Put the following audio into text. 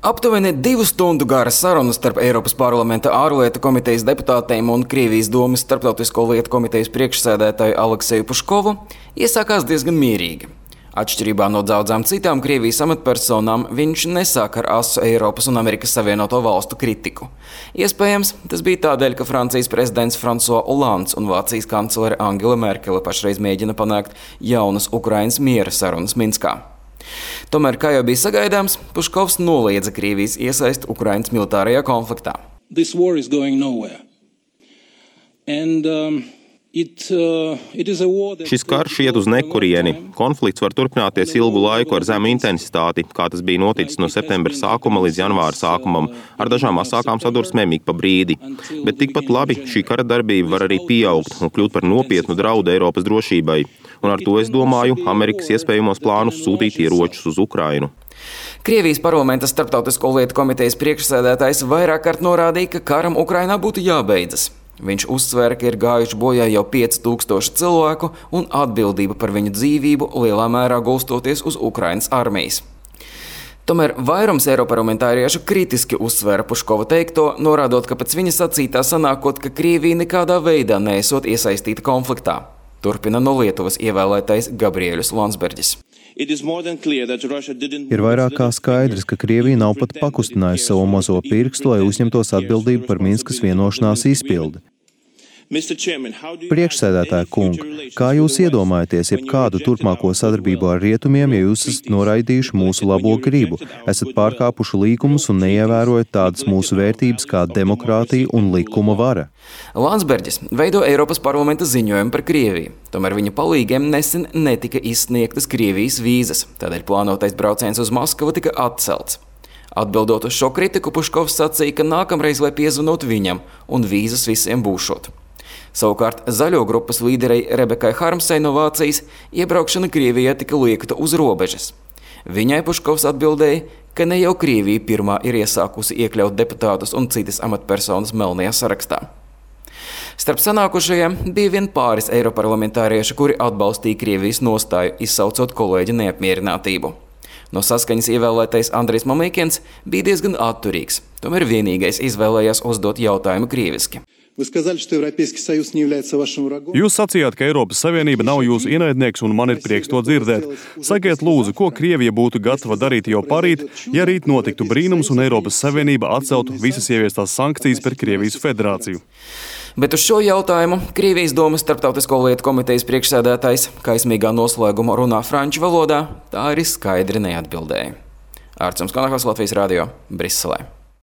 Aptuveni 2 stundu gara saruna starp Eiropas parlamenta ārlietu komitejas deputātiem un Krievijas domas starptautisko lietu komitejas priekšsēdētāju Alekseju Puškovu iesākās diezgan mierīgi. Atšķirībā no daudzām citām Krievijas amatpersonām, viņš nesāk ar asu Eiropas un Amerikas Savienoto Valstu kritiku. Iespējams, tas bija tādēļ, ka Francijas prezidents François Hollands un Vācijas kanclere Angela Merkele pašreiz mēģina panākt jaunas Ukrainas miera sarunas Minskā. Tomēr, kā jau bija sagaidāms, Puškovs noliedza Krievijas iesaisti Ukrainas militārajā konfliktā. Šis karš iet uz nekurieni. Konflikts var turpināties ilgu laiku ar zemu intensitāti, kā tas bija noticis no septembra sākuma līdz janvāra sākumam, ar dažām asākām sadursmēm ik pa brīdi. Bet tikpat labi šī kara darbība var arī pieaugt un kļūt par nopietnu draudu Eiropas drošībai. Un ar to, es domāju, Amerikas iespējamos plānus sūtīt ieročus uz Ukrainu. Krievijas parlamenta starptautisko lietu komitejas priekšsēdētājs vairāk kārt norādīja, ka karam Ukrainā būtu jābeidzas. Viņš uzsvēra, ka ir gājuši bojā jau 5000 cilvēku un atbildība par viņu dzīvību lielā mērā gulstoties uz Ukrainas armijas. Tomēr vairums eiroparlamentāriešu kritiski uzsvēra Puškova teikto, norādot, ka pēc viņa sacītā sanākot, ka Krievija nekādā veidā neesot iesaistīta konfliktā. Turpina no Lietuvas ievēlētais Gabriēļus Landsbergis. Ir vairāk kā skaidrs, ka Krievija nav pat pakustinājusi savu mazo pirkstu, lai uzņemtos atbildību par Minskas vienošanās izpildi. Priekšsēdētāja kungs, kā jūs iedomājaties jebkādu turpmāko sadarbību ar rietumiem, ja jūs esat noraidījuši mūsu labo gribu, esat pārkāpuši līkumus un neievērojat tādas mūsu vērtības kā demokrātija un likuma vara? Landsbergis veido Eiropas parlamenta ziņojumu par Krieviju, tomēr viņa palīgiem nesen netika izsniegtas Krievijas vīzas, tādēļ plānotais brauciens uz Maskavu tika atcelts. Atbildot uz šo kritiku, Puškovs sacīja, ka nākamreiz vai piezvanot viņam un vīzas visiem būšot. Savukārt zaļo grupas līderei Rebekai Harmsai no Vācijas iebraukšana Krievijā tika liekta uz robežas. Viņai Puškovs atbildēja, ka ne jau Krievija pirmā ir iesākusi iekļaut deputātus un citas amatpersonas melnajā sarakstā. Starp sanākušajiem bija vien pāris eiroparlamentārieši, kuri atbalstīja Krievijas nostāju, izsaucot kolēģu neapmierinātību. No Saskaņas ievēlētais Andrijs Mamīkins bija diezgan atturīgs, tomēr vienīgais izvēlējās uzdot jautājumu krieviski. Jūs sacījāt, ka Eiropas Savienība nav jūsu ienaidnieks, un man ir prieks to dzirdēt. Sakiet lūdzu, ko Krievija būtu gatava darīt jau parīt, ja rīt notiktu brīnums un Eiropas Savienība atceltu visas ieviestās sankcijas par Krievijas federāciju. Bet uz šo jautājumu Krievijas domas starptautisko lietu komitejas priekšsēdētājs kaismīgā noslēguma runā franču valodā, tā arī skaidri neatbildēja. Ārtsums Kanahos, Latvijas radio, Briselē.